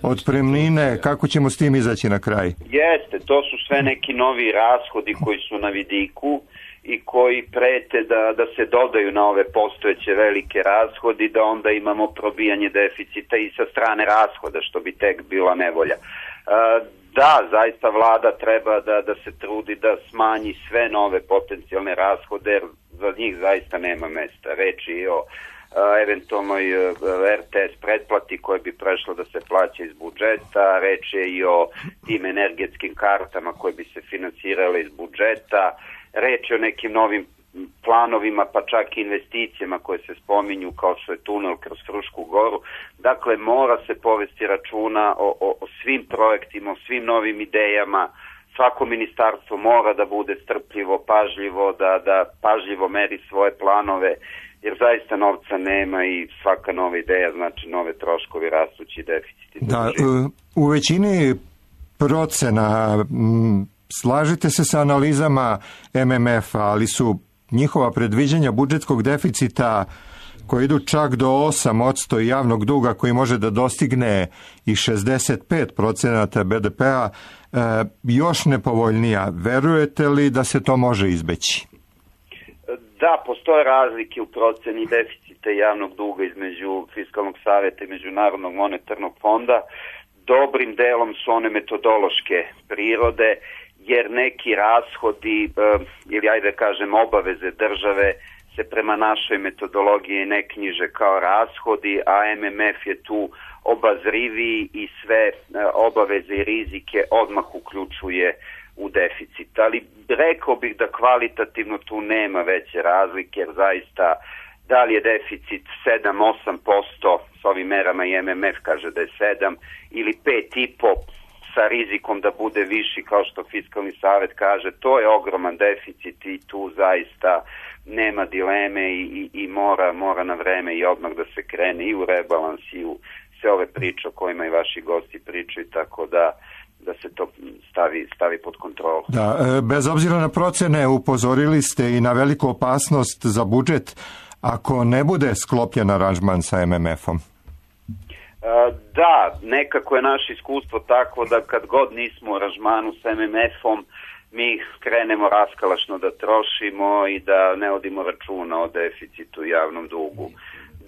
otpremnine, kako ćemo s tim izaći na kraj? Jeste, to su sve neki novi rashodi koji su na vidiku i koji prete da se dodaju na ove postojeće velike rashodi, da onda imamo probijanje deficita i sa strane rashoda, što bi tek bila nevolja. Da, zaista vlada treba da se trudi da smanji sve nove potencijalne rashode, jer za njih zaista nema mesta. Reč je o eventualnoj RTS pretplati koja bi prešla da se plaća iz budžeta, reč je i o tim energetskim kartama koje bi se finansirale iz budžeta, reč je o nekim novim planovima, pa čak i investicijama koje se spominju kao što je tunel kroz Frušku goru. Dakle, mora se povesti računa o svim projektima, o svim novim idejama. Svako ministarstvo mora da bude strpljivo, pažljivo, da pažljivo meri svoje planove, jer zaista novca nema i svaka nova ideja znači nove troškovi, rastući deficiti. Da, u većini procena slažete se sa analizama MMF-a, ali su njihova predviđanja budžetskog deficita koji idu čak do 8% javnog duga koji može da dostigne i 65% BDP-a još nepovoljnija. Verujete li da se to može izbeći? Da, postoje razlike u proceni deficita javnog duga između Fiskalnog savjeta i Međunarodnog monetarnog fonda. Dobrim delom su one metodološke prirode, jer neki rashodi ili ajde kažem obaveze države se prema našoj metodologiji ne knjiže kao rashodi, a MMF je tu obazriviji i sve obaveze i rizike odmah uključuje u deficit. Ali rekao bih da kvalitativno tu nema veće razlike, jer zaista da li je deficit 7-8% s ovim merama i MMF kaže da je 7 ili 5,5% sa rizikom da bude viši kao što Fiskalni savjet kaže, to je ogroman deficit i tu zaista nema dileme i mora na vreme i odmah da se krene i u rebalans i u sve ove priče o kojima i vaši gosti pričaju, tako da se to stavi pod kontrolu. Da, bez obzira na procene upozorili ste i na veliku opasnost za budžet ako ne bude sklopljen aranžman sa MMF-om. Da, nekako je naše iskustvo takvo da kad god nismo u aranžmanu sa MMF-om, mi krenemo raskalašno da trošimo i da ne vodimo računa o deficitu i javnom dugu.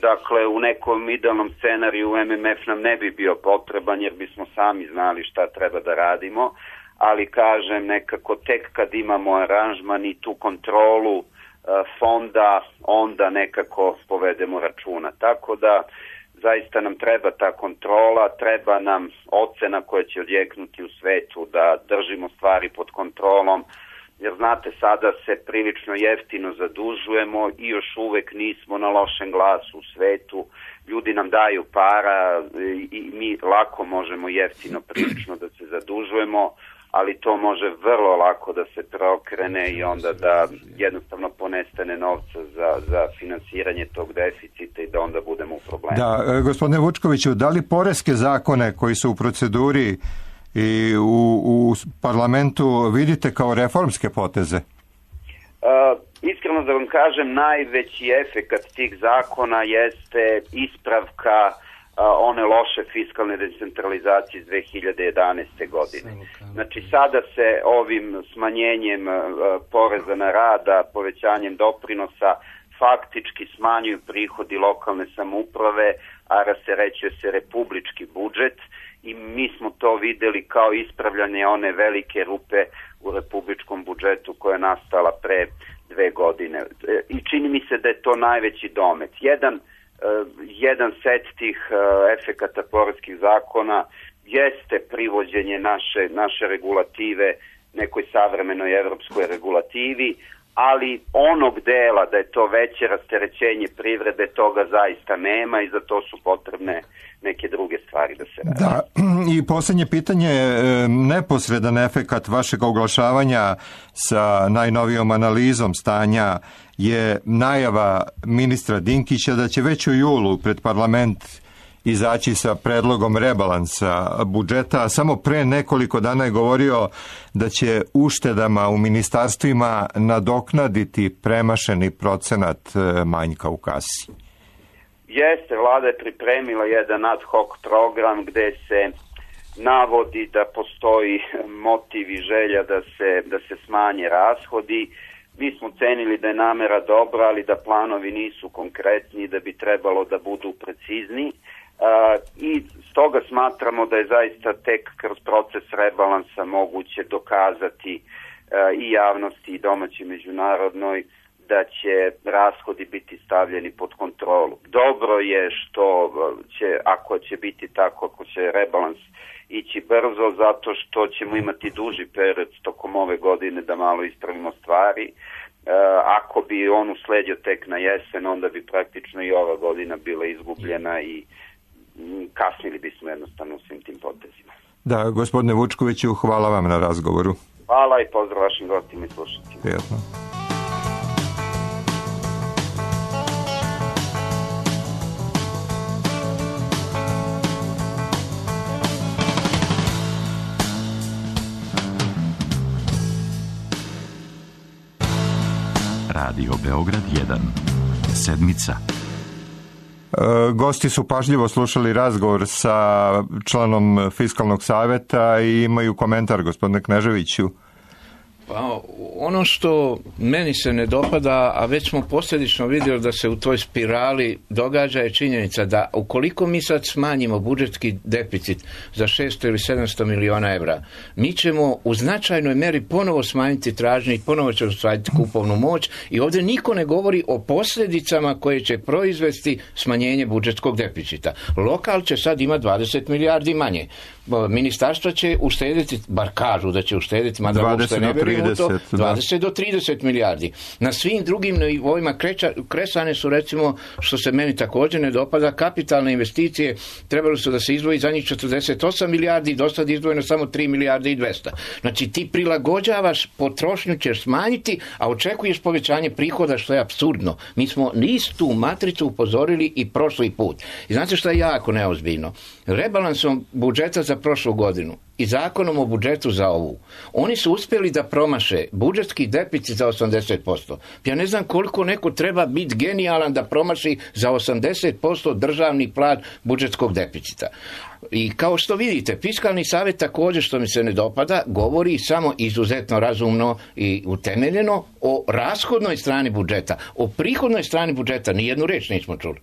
Dakle, u nekom idealnom scenariju MMF nam ne bi bio potreban jer bismo sami znali šta treba da radimo, ali kažem nekako tek kad imamo aranžman i tu kontrolu fonda, onda nekako povedemo računa. Tako da zaista nam treba ta kontrola, treba nam ocena koja će odjeknuti u svetu da držimo stvari pod kontrolom, jer znate sada se prilično jeftino zadužujemo i još uvek nismo na lošem glasu u svetu. Ljudi nam daju para i mi lako možemo jeftino prilično da se zadužujemo, ali to može vrlo lako da se preokrene i onda da jednostavno ponestane novca za finansiranje tog deficita i da onda budemo u problemu. Da, gospodine Vučkoviću, da li poreske zakone koji su u proceduri i u parlamentu vidite kao reformske poteze? Iskreno da vam kažem, najveći efekat tih zakona jeste ispravka one loše fiskalne decentralizacije iz 2011. godine. Znači sada se ovim smanjenjem poreza na rada, povećanjem doprinosa faktički smanjuju prihodi lokalne samouprave, a rasterećuje se republički budžet i mi smo to videli kao ispravljanje one velike rupe u republičkom budžetu koja je nastala pre 2 godine. I čini mi se da je to najveći domet. Jedan jedan set tih efekata poreskih zakona jeste privođenje naše regulative nekoj savremenoj evropskoj regulativi, ali onog dela da je to veće rasterećenje privrede, toga zaista nema i za to su potrebne neke druge stvari da se radi. Da, i posljednje pitanje, neposredan efekat vašeg oglašavanja sa najnovijom analizom stanja je najava ministra Dinkića da će već u julu pred parlament izaći sa predlogom rebalansa budžeta, a samo pre nekoliko dana je govorio da će uštedama u ministarstvima nadoknaditi premašeni procenat manjka u kasi. Jeste, vlada je pripremila jedan ad hoc program gde se navodi da postoji motiv i želja da se smanje rashodi. Mi smo cenili da je namera dobra, ali da planovi nisu konkretni, da bi trebalo da budu precizni. I stoga smatramo da je zaista tek kroz proces rebalansa moguće dokazati i javnosti i domaći međunarodnoj da će rashodi biti stavljeni pod kontrolu. Dobro je što će, ako će biti tako, ako će rebalans ići brzo, zato što ćemo imati duži period tokom ove godine da malo ispravimo stvari. Ako bi on usledio tek na jesen, onda bi praktično i ova godina bila izgubljena i kasnili bismo jednostavno u svim tim potezima. Da, gospodine Vučkoviću, hvala vam na razgovoru. Hvala i pozdrav vašim gostima i slušateljima. Prijetno. Radio Beograd 1. Sedmica. Gosti su pažljivo slušali razgovor sa članom Fiskalnog saveta i imaju komentar, gospodine Kneževiću. Pa, ono što meni se ne dopada, a već smo posljedično vidjeli da se u toj spirali događa, je činjenica da ukoliko mi sad smanjimo budžetski deficit za 600 ili 700 miliona evra, mi ćemo u značajnoj meri ponovo smanjiti tražnju i ponovo ćemo smanjiti kupovnu moć i ovdje niko ne govori o posljedicama koje će proizvesti smanjenje budžetskog deficita. Lokal će sad imati 20 milijardi manje. Ministarstva će uštediti, bar kažu da će uštediti, mada uopšte ne vjerujem u to, 20 do 30 milijardi. Na svim drugim nivoima kresane su, recimo, što se meni također ne dopada, kapitalne investicije, trebalo su da se izdvoji za njih 48 milijardi, do sad izdvojeno samo 3 milijarde i 200. Znači ti prilagođavaš, potrošnju ćeš smanjiti, a očekuješ povećanje prihoda, što je apsurdno. Mi smo istu matricu upozorili i prošli put. I znate što je jako neozbiljno? Rebalansom budžeta za prošlu godinu i zakonom o budžetu za ovu, oni su uspjeli da promaše budžetski deficit za 80%. Ja ne znam koliko neko treba biti genijalan da promaši za 80% državni plan budžetskog deficita. I kao što vidite, Fiskalni savjet također, što mi se ne dopada, govori samo izuzetno razumno i utemeljeno o rashodnoj strani budžeta. O prihodnoj strani budžeta nijednu reč nismo čuli.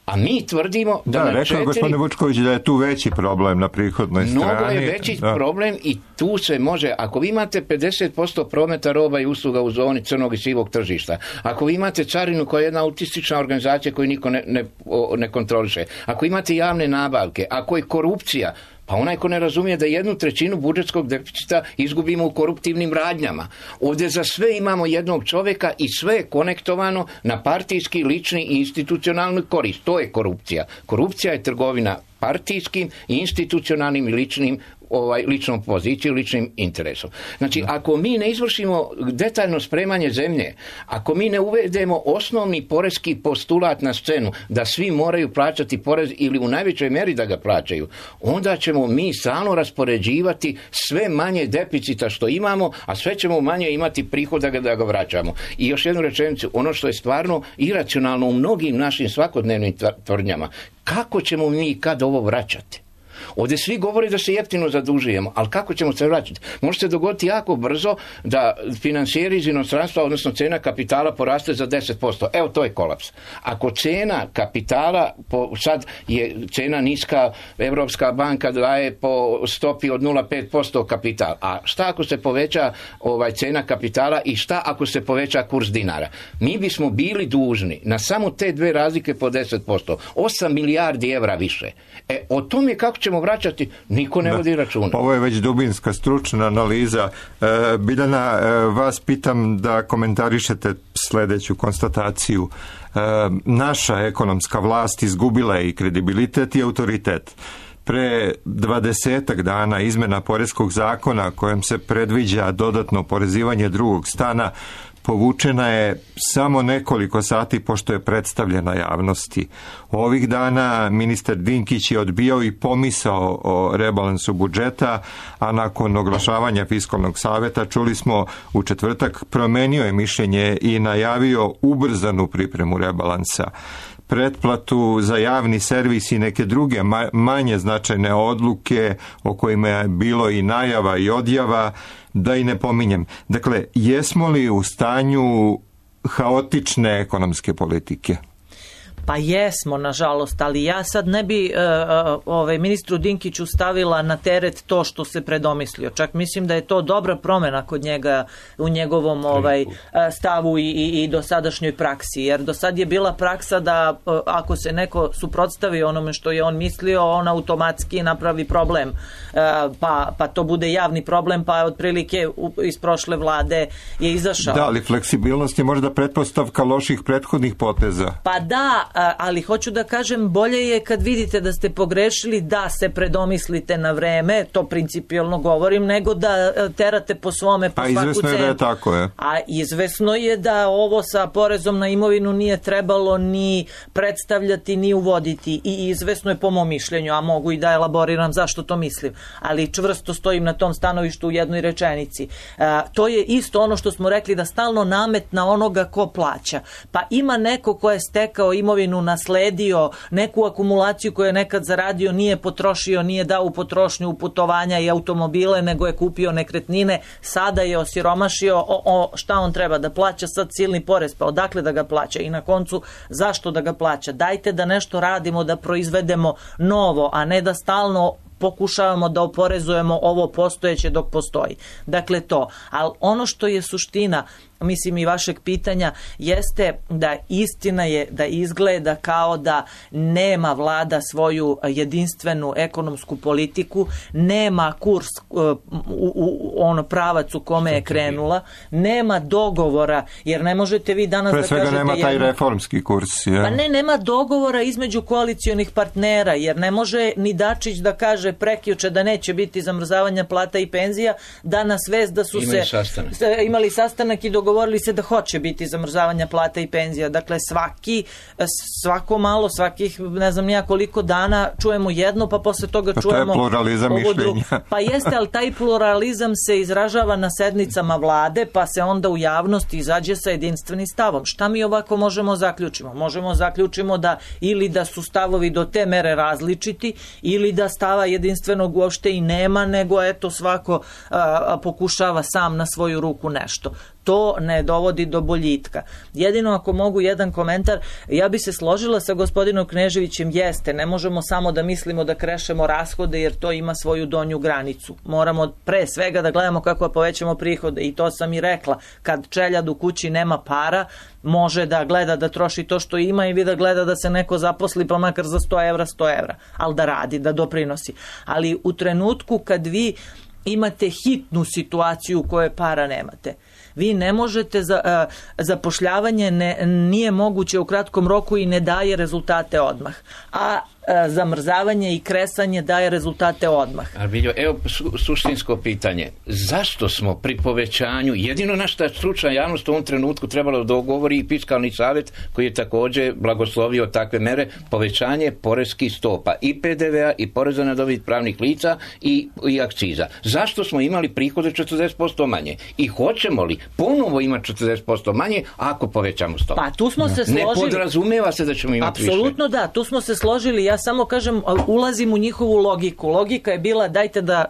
A mi tvrdimo da rekao je gospodine Vučković da je tu veći problem na prihodnoj strani. Mnogo je veći problem i tu se može, ako vi imate 50% prometa roba i usluga u zoni crnog i sivog tržišta, ako vi imate carinu koja je jedna autistična organizacija koju niko ne kontroliše, ako imate javne nabavke, ako je korupcija, pa onaj ko ne razumije da 1/3 budžetskog deficita izgubimo u koruptivnim radnjama. Ovdje za sve imamo jednog čovjeka i sve je konektovano na partijski, lični i institucionalni korist. To je korupcija. Korupcija je trgovina partijskim, institucionalnim i ličnom pozicijom, ličnim interesom. Znači, ako mi ne izvršimo detaljno spremanje zemlje, ako mi ne uvedemo osnovni poreski postulat na scenu, da svi moraju plaćati porez ili u najvećoj meri da ga plaćaju, onda ćemo mi stalno raspoređivati sve manje deficita što imamo, a sve ćemo manje imati prihoda da ga vraćamo. I još jednu rečenicu, ono što je stvarno iracionalno u mnogim našim svakodnevnim tvrdnjama, kako ćemo mi kad ovo vraćati? Ovdje svi govore da se jeftino zadužujemo, ali kako ćemo se vraćati? Može se dogoditi jako brzo da finansijeri iz inostranstva, odnosno cena kapitala poraste za 10%. Evo, to je kolaps. Ako cena kapitala, sad je cena niska, Evropska banka daje po stopi od 0,5% kapital. A šta ako se poveća cena kapitala i šta ako se poveća kurs dinara? Mi bismo bili dužni na samo te dve razlike po 10%. 8 milijardi evra više. O tome kako ćemo vraćati, niko ne vodi računa. Ovo je već dubinska stručna analiza. Biljana, vas pitam da komentarišete sljedeću konstataciju. Naša ekonomska vlast izgubila je i kredibilitet i autoritet. Pre 20 dana izmena poreskog zakona kojom se predviđa dodatno oporezivanje drugog stana povučena je samo nekoliko sati pošto je predstavljena javnosti. Ovih dana ministar Dinkić je odbijao i pomisao o rebalansu budžeta, a nakon oglašavanja Fiskalnog saveta, čuli smo u četvrtak, promenio je mišljenje i najavio ubrzanu pripremu rebalansa. Pretplatu za javni servis i neke druge manje značajne odluke o kojima je bilo i najava i odjava, da i ne pominjem. Dakle, jesmo li u stanju haotične ekonomske politike? Pa jesmo, nažalost, ali ja sad ne bi ministru Dinkiću stavila na teret to što se predomislio. Čak mislim da je to dobra promjena kod njega u njegovom stavu i dosadašnjoj praksi. Jer do sad je bila praksa da ako se neko suprotstavi onome što je on mislio, on automatski napravi problem. Pa to bude javni problem, pa otprilike iz prošle vlade je izašao. Da, ali fleksibilnost je možda pretpostavka loših prethodnih poteza. Pa da, ali hoću da kažem, bolje je kad vidite da ste pogrešili da se predomislite na vreme, to principijelno govorim, nego da terate po svome po svaku cenu. A izvesno je da je tako, je. A izvesno je da ovo sa porezom na imovinu nije trebalo ni predstavljati, ni uvoditi, i izvesno je po mom mišljenju, a mogu i da elaboriram zašto to mislim, ali čvrsto stojim na tom stanovištu u jednoj rečenici. To je isto ono što smo rekli, da stalno namet na onoga ko plaća. Pa ima neko ko je stekao imovinu, nasledio neku akumulaciju koju je nekad zaradio, nije potrošio, nije dao u potrošnju, u putovanja i automobile, nego je kupio nekretnine, sada je osiromašio, šta on treba da plaća sad silni porez, pa odakle da ga plaća i na koncu zašto da ga plaća? Dajte da nešto radimo, da proizvedemo novo, a ne da stalno pokušavamo da oporezujemo ovo postojeće dok postoji. Dakle to. Ali ono što je suština, mislim, i vašeg pitanja, jeste da istina je da izgleda kao da nema vlada svoju jedinstvenu ekonomsku politiku, nema kurs u pravac u kome je krenula, nema dogovora, jer ne možete vi danas pre da svega kažete... nema taj reformski kurs. Je. Pa nema dogovora između koalicionih partnera, jer ne može ni Dačić da kaže prekjuče da neće biti zamrzavanja plata i penzija, danas vest da su imali sastanak i dogovorili se da hoće biti zamrzavanja plata i penzija. Dakle, svako malo, svakih ne znam nija koliko dana čujemo jedno, pa posle toga čujemo... To je pluralizam mišljenja. Pa jeste, ali taj pluralizam se izražava na sednicama vlade, pa se onda u javnosti izađe sa jedinstvenim stavom. Šta mi ovako možemo zaključimo? Možemo zaključimo da ili da su stavovi do te mere različiti, ili da stava jedinstvenog uopšte i nema, nego eto svako pokušava sam na svoju ruku nešto. To ne dovodi do boljitka. Jedino ako mogu jedan komentar, ja bi se složila sa gospodinom Kneževićem, jeste, ne možemo samo da mislimo da krešemo rashode, jer to ima svoju donju granicu. Moramo pre svega da gledamo kako povećamo prihode, i to sam i rekla, kad čeljad u kući nema para, može da gleda da troši to što ima i da gleda da se neko zaposli pa makar za 100 evra, ali da radi, da doprinosi. Ali u trenutku kad vi imate hitnu situaciju u kojoj para nemate, vi ne možete, zapošljavanje nije moguće u kratkom roku i ne daje rezultate odmah. A zamrzavanje i kresanje daje rezultate odmah. Evo suštinsko pitanje. Zašto smo pri povećanju, jedino na što stručna javnost u ovom trenutku trebalo da dogovori i Fiskalni savjet koji je također blagoslovio takve mere, povećanje poreskih stopa i PDV-a i poreza na dobit pravnih lica i akciza. Zašto smo imali prihode 40% manje? I hoćemo li ponovo imati 40% manje ako povećamo stopu? Pa tu smo se složili. Ne podrazumeva se da ćemo imati više. Apsolutno da, tu smo se složili. Ja samo kažem, ulazim u njihovu logiku. Logika je bila dajte da,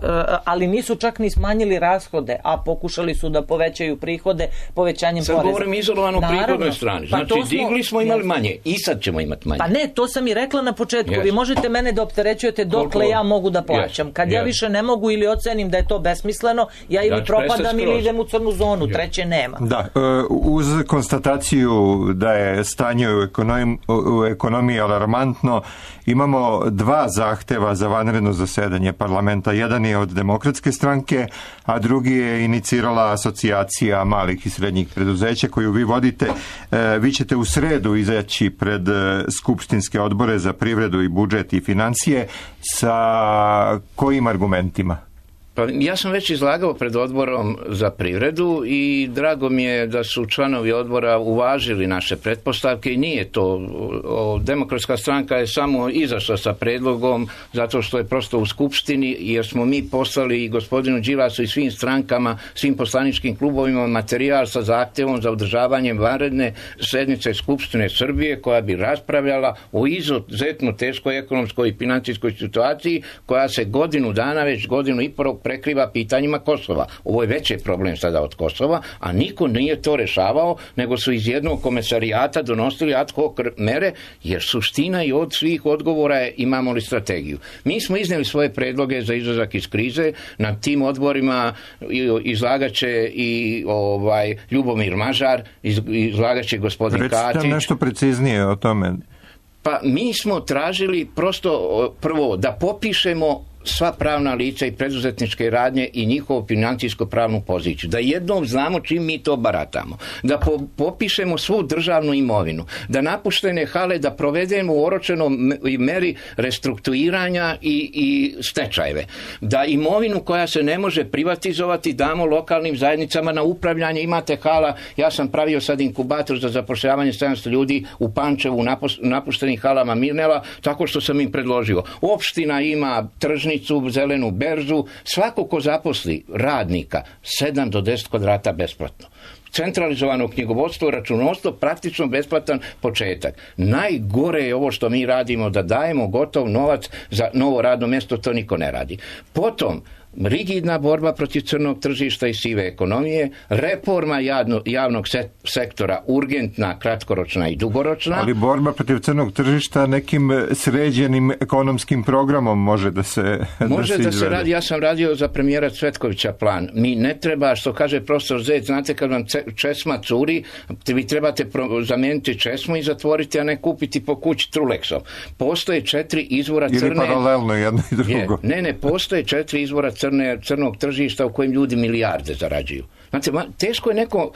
ali nisu čak ni smanjili rashode, a pokušali su da povećaju prihode povećanjem poreza. Sad govorim izolovano u prihodnoj strani. Znači, digli smo, imali manje i sad ćemo imati manje. Pa ne, to sam i rekla na početku. Vi možete mene da opterećujete dokle ja mogu da plaćam. Kad ja više ne mogu ili ocenim da je to besmisleno, ja ili propadam ili idem u crnu zonu, treće nema. Da, uz konstataciju da je stanje u ekonomiji alarmantno, imamo dva zahteva za vanredno zasedanje parlamenta. Jedan je od Demokratske stranke, a drugi je inicirala Asocijacija malih i srednjih preduzeća koju vi vodite. Vi ćete u sredu izaći pred skupštinske odbore za privredu i budžet i financije. Sa kojim argumentima? Pa ja sam već izlagao pred odborom za privredu i drago mi je da su članovi odbora uvažili naše pretpostavke i nije to. Demokratska stranka je samo izašla sa predlogom zato što je prosto u skupštini, jer smo mi poslali i gospodinu Đilasu i svim strankama, svim poslaničkim klubovima materijal sa zahtjevom za održavanjem vanredne sednice Skupštine Srbije koja bi raspravljala o izuzetno teškoj ekonomskoj i financijskoj situaciji koja se godinu dana, već godinu i pol prekriva pitanjima Kosova. Ovo je veći problem sada od Kosova, a niko nije to rešavao, nego su iz jednog komesarijata donosili ad hoc mere, jer suština i od svih odgovora je imamo li strategiju. Mi smo iznijeli svoje predloge za izlazak iz krize, na tim odborima izlagaće i Ljubomir Mažar, izlagaće gospodin Katić. Recite nešto preciznije o tome. Pa mi smo tražili prosto prvo da popišemo sva pravna lica i preduzetničke radnje i njihovu financijsko-pravnu poziciju. Da jednom znamo čim mi to baratamo. Da popišemo svu državnu imovinu. Da napuštene hale da provedemo u oročenom meri restrukturiranja i stečajeve. Da imovinu koja se ne može privatizovati damo lokalnim zajednicama na upravljanje. Imate hala, ja sam pravio sad inkubator za zapošljavanje 700 ljudi u Pančevu u napuštenim halama Mirnela, tako što sam im predložio. Opština ima tržnicu, zelenu berzu, svako ko zaposli radnika 7 do 10 kvadrata besplatno. Centralizovano knjigovodstvo, računovodstvo, praktično besplatan početak. Najgore je ovo što mi radimo, da dajemo gotov novac za novo radno mjesto, to niko ne radi. Potom, rigidna borba protiv crnog tržišta i sive ekonomije, reforma javnog sektora, urgentna, kratkoročna i dugoročna. Ali borba protiv crnog tržišta nekim sređenim ekonomskim programom može da se radi. Ja sam radio za premijera Cvetkovića plan. Mi ne treba, što kaže profesor Zec, znate kad vam česma curi, vi trebate zamijeniti česmu i zatvoriti, a ne kupiti po kući Trulexom. Postoje 4 izvora crne... Ili paralelno jedno i drugo. Ne, postoje 4 izvora crnog tržišta u kojim ljudi milijarde zarađuju. Znate, teško je neko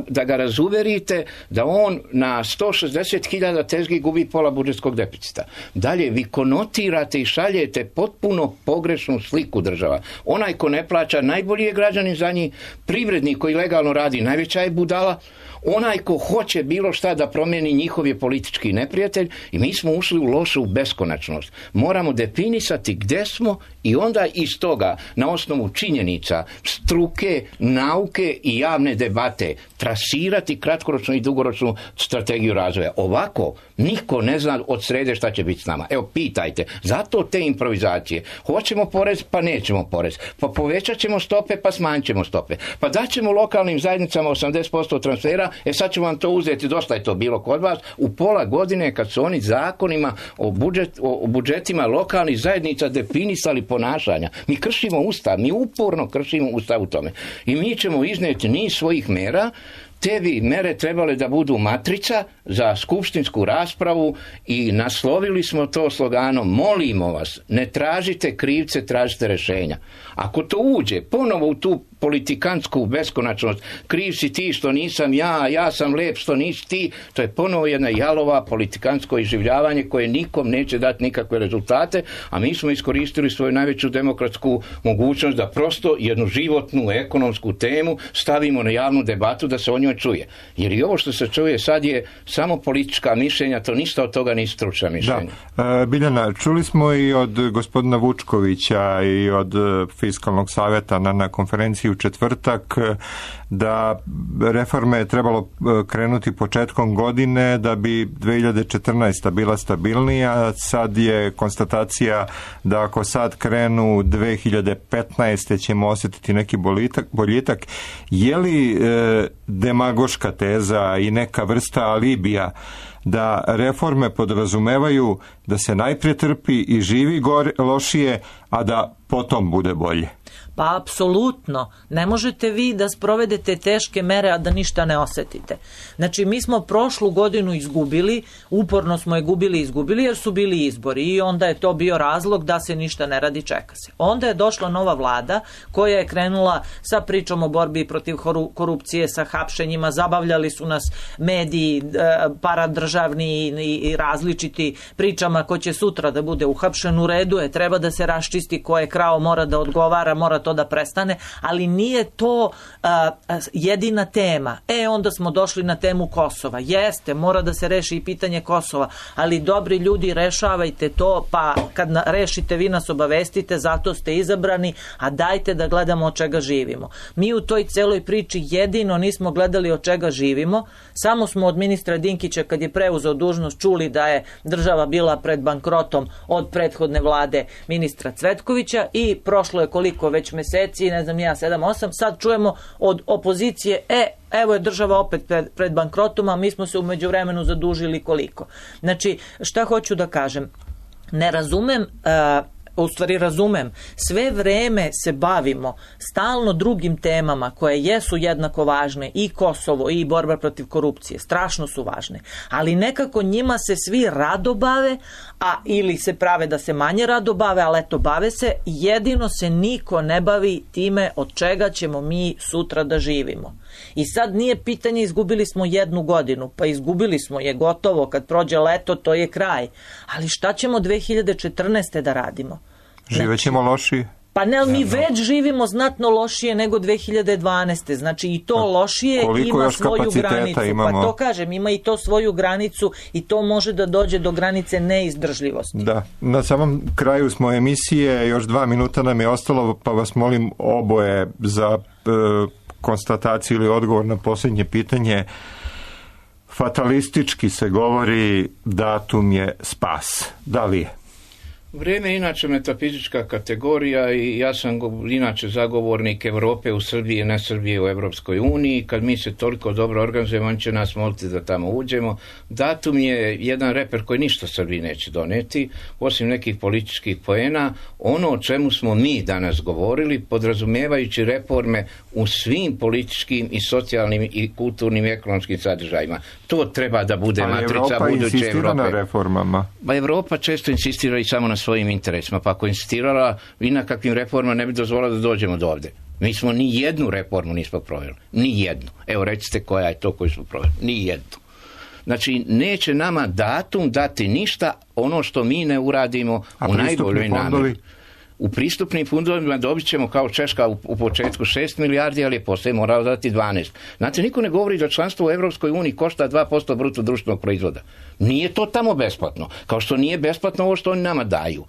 da ga razuverite da on na 160.000 tezgi gubi pola budžetskog deficita. Dalje, vi konotirate i šaljete potpuno pogrešnu sliku država. Onaj ko ne plaća, najbolji je građanin za njih, privrednik koji legalno radi, najveća je budala, onaj ko hoće bilo šta da promijeni, njihov je politički neprijatelj i mi smo ušli u lošu beskonačnost. Moramo definisati gdje smo i onda iz toga, na osnovu činjenica, struke, nauke i javne debate, trasirati kratkoročnu i dugoročnu strategiju razvoja. Ovako, niko ne zna od srede šta će biti s nama. Evo, pitajte. Zato te improvizacije. Hoćemo porez, pa nećemo porez. Pa povećat ćemo stope, pa smanjit ćemo stope. Pa daćemo lokalnim zajednicama 80% transfera, sad ćemo vam to uzeti, dosta je to bilo kod vas, u pola godine kad su oni zakonima o budžetima lokalnih zajednica definisali ponašanja. Mi kršimo Ustav, mi uporno kršimo Ustav u tome. I mi ćemo iznijeti niz svojih mera. Te bi mere trebale da budu matrica za skupštinsku raspravu i naslovili smo to sloganom: molimo vas, ne tražite krivce, tražite rješenja. Ako to uđe ponovo u tu politikansku beskonačnost, kriv si ti što nisam ja sam lep što nisi ti, to je ponovo jedna jalova politikansko iživljavanje koje nikom neće dati nikakve rezultate, a mi smo iskoristili svoju najveću demokratsku mogućnost da prosto jednu životnu ekonomsku temu stavimo na javnu debatu da se o njoj čuje. Jer i ovo što se čuje sad je samo politička mišljenja, to ništa od toga nije stručna mišljenja. Da. Biljana, čuli smo i od gospodina Vučkovića i od Fiskalnog savjeta na konferenciji u četvrtak, da reforme je trebalo krenuti početkom godine da bi 2014. bila stabilnija. Sad je konstatacija da ako sad krenu 2015. ćemo osjetiti neki boljitak. Je li demagoška teza i neka vrsta alibija da reforme podrazumevaju da se najprije trpi i živi lošije, a da potom bude bolje? Pa apsolutno. Ne možete vi da sprovedete teške mere, a da ništa ne osetite. Znači, mi smo prošlu godinu izgubili, uporno smo je izgubili jer su bili izbori i onda je to bio razlog da se ništa ne radi, čeka se. Onda je došla nova vlada koja je krenula sa pričom o borbi protiv korupcije, sa hapšenjima, zabavljali su nas mediji, paradržavni i različiti pričama ko će sutra da bude uhapšen. U redu je, treba da se raščisti ko je krao, mora da odgovara, mora to da prestane, ali nije to jedina tema. Onda smo došli na temu Kosova. Jeste, mora da se reši i pitanje Kosova, ali dobri ljudi, rešavajte to, pa kad rešite vi nas obavestite, zato ste izabrani, a dajte da gledamo od čega živimo. Mi u toj celoj priči jedino nismo gledali od čega živimo, samo smo od ministra Dinkića kad je preuzeo dužnost čuli da je država bila pred bankrotom od prethodne vlade ministra Cvetkovića i prošlo je koliko već meseci, ne znam ja, 7-8, sad čujemo od opozicije, evo je država opet pred bankrotom, a mi smo se u međuvremenu zadužili koliko. Znači, šta hoću da kažem? Ne razumem, u stvari razumem, sve vreme se bavimo stalno drugim temama koje jesu jednako važne, i Kosovo i borba protiv korupcije, strašno su važne, ali nekako njima se svi rado bave, a ili se prave da se manje rado bave, ali eto bave se, jedino se niko ne bavi time od čega ćemo mi sutra da živimo. I sad nije pitanje izgubili smo 1 godinu, pa izgubili smo je gotovo, kad prođe leto to je kraj, ali šta ćemo 2014. da radimo? Živećemo lošije? Pa ne, ali mi već živimo znatno lošije nego 2012. Znači i to lošije ima svoju granicu. Pa to kažem, ima i to svoju granicu i to može da dođe do granice neizdržljivosti. Da, na samom kraju smo emisije, još 2 minuta nam je ostalo, pa vas molim oboje za konstataciju ili odgovor na posljednje pitanje. Fatalistički se govori datum je spas. Da li je? Vrijeme je inače metafizička kategorija i ja sam inače zagovornik Europe u Srbiji, ne Srbije u Evropskoj uniji. Kad mi se toliko dobro organizujemo, on će nas moliti da tamo uđemo. Datum je jedan reper koji ništa Srbiji neće doneti, osim nekih političkih poena. Ono o čemu smo mi danas govorili, podrazumijevajući reforme u svim političkim i socijalnim i kulturnim i ekonomskim sadržajima. To treba da bude matrica buduće Evrope. Na reformama. Pa Evropa često insistira i samo na svojim interesima, pa ako insistirala i na kakvim reformama ne bi dozvolila da dođemo do ovde. Mi smo ni jednu reformu nismo proveli. Ni jednu. Evo recite koja je to koju smo proveli. Ni jednu. Znači, neće nama datum dati ništa ono što mi ne uradimo u najboljoj namjeri. U pristupnim fondovima dobit ćemo kao Češka u početku 6 milijardi, ali je poslije morao dati 12. Znate, niko ne govori da članstvo u Evropskoj uniji košta 2% bruto društvenog proizvoda. Nije to tamo besplatno. Kao što nije besplatno ovo što oni nama daju.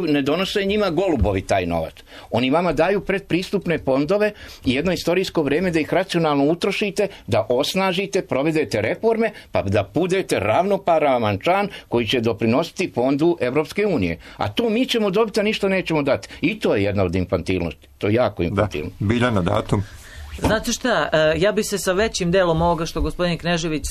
Ne donose njima golubovi taj novac. Oni vama daju predpristupne fondove i jedno istorijsko vrijeme da ih racionalno utrošite, da osnažite, provedete reforme, pa da budete ravnopravan član koji će doprinositi fondu Evropske unije. A to mi ćemo dobiti, a ništa nećemo dati. I to je jedna od infantilnosti. To je jako infantilno. Da, Biljana, datum. Znate šta, ja bi se sa većim delom ovoga što gospodin Knežević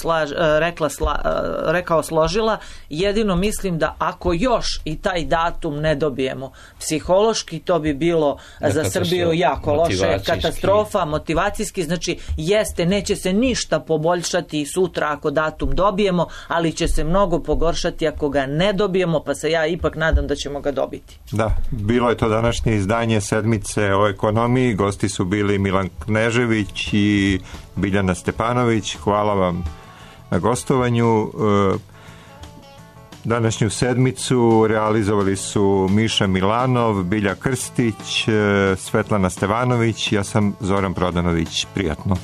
rekao složila, jedino mislim da ako još i taj datum ne dobijemo psihološki, to bi bilo za Srbiju jako loše, katastrofa, motivacijski, znači jeste, neće se ništa poboljšati sutra ako datum dobijemo, ali će se mnogo pogoršati ako ga ne dobijemo, pa se ja ipak nadam da ćemo ga dobiti. Da, bilo je to današnje izdanje Sedmice o ekonomiji, gosti su bili Milan Knežević i Biljana Stepanović. Hvala vam na gostovanju. Današnju sedmicu realizovali su Miša Milanov, Bilja Krstić, Svetlana Stevanović, ja sam Zoran Prodanović. Prijatno.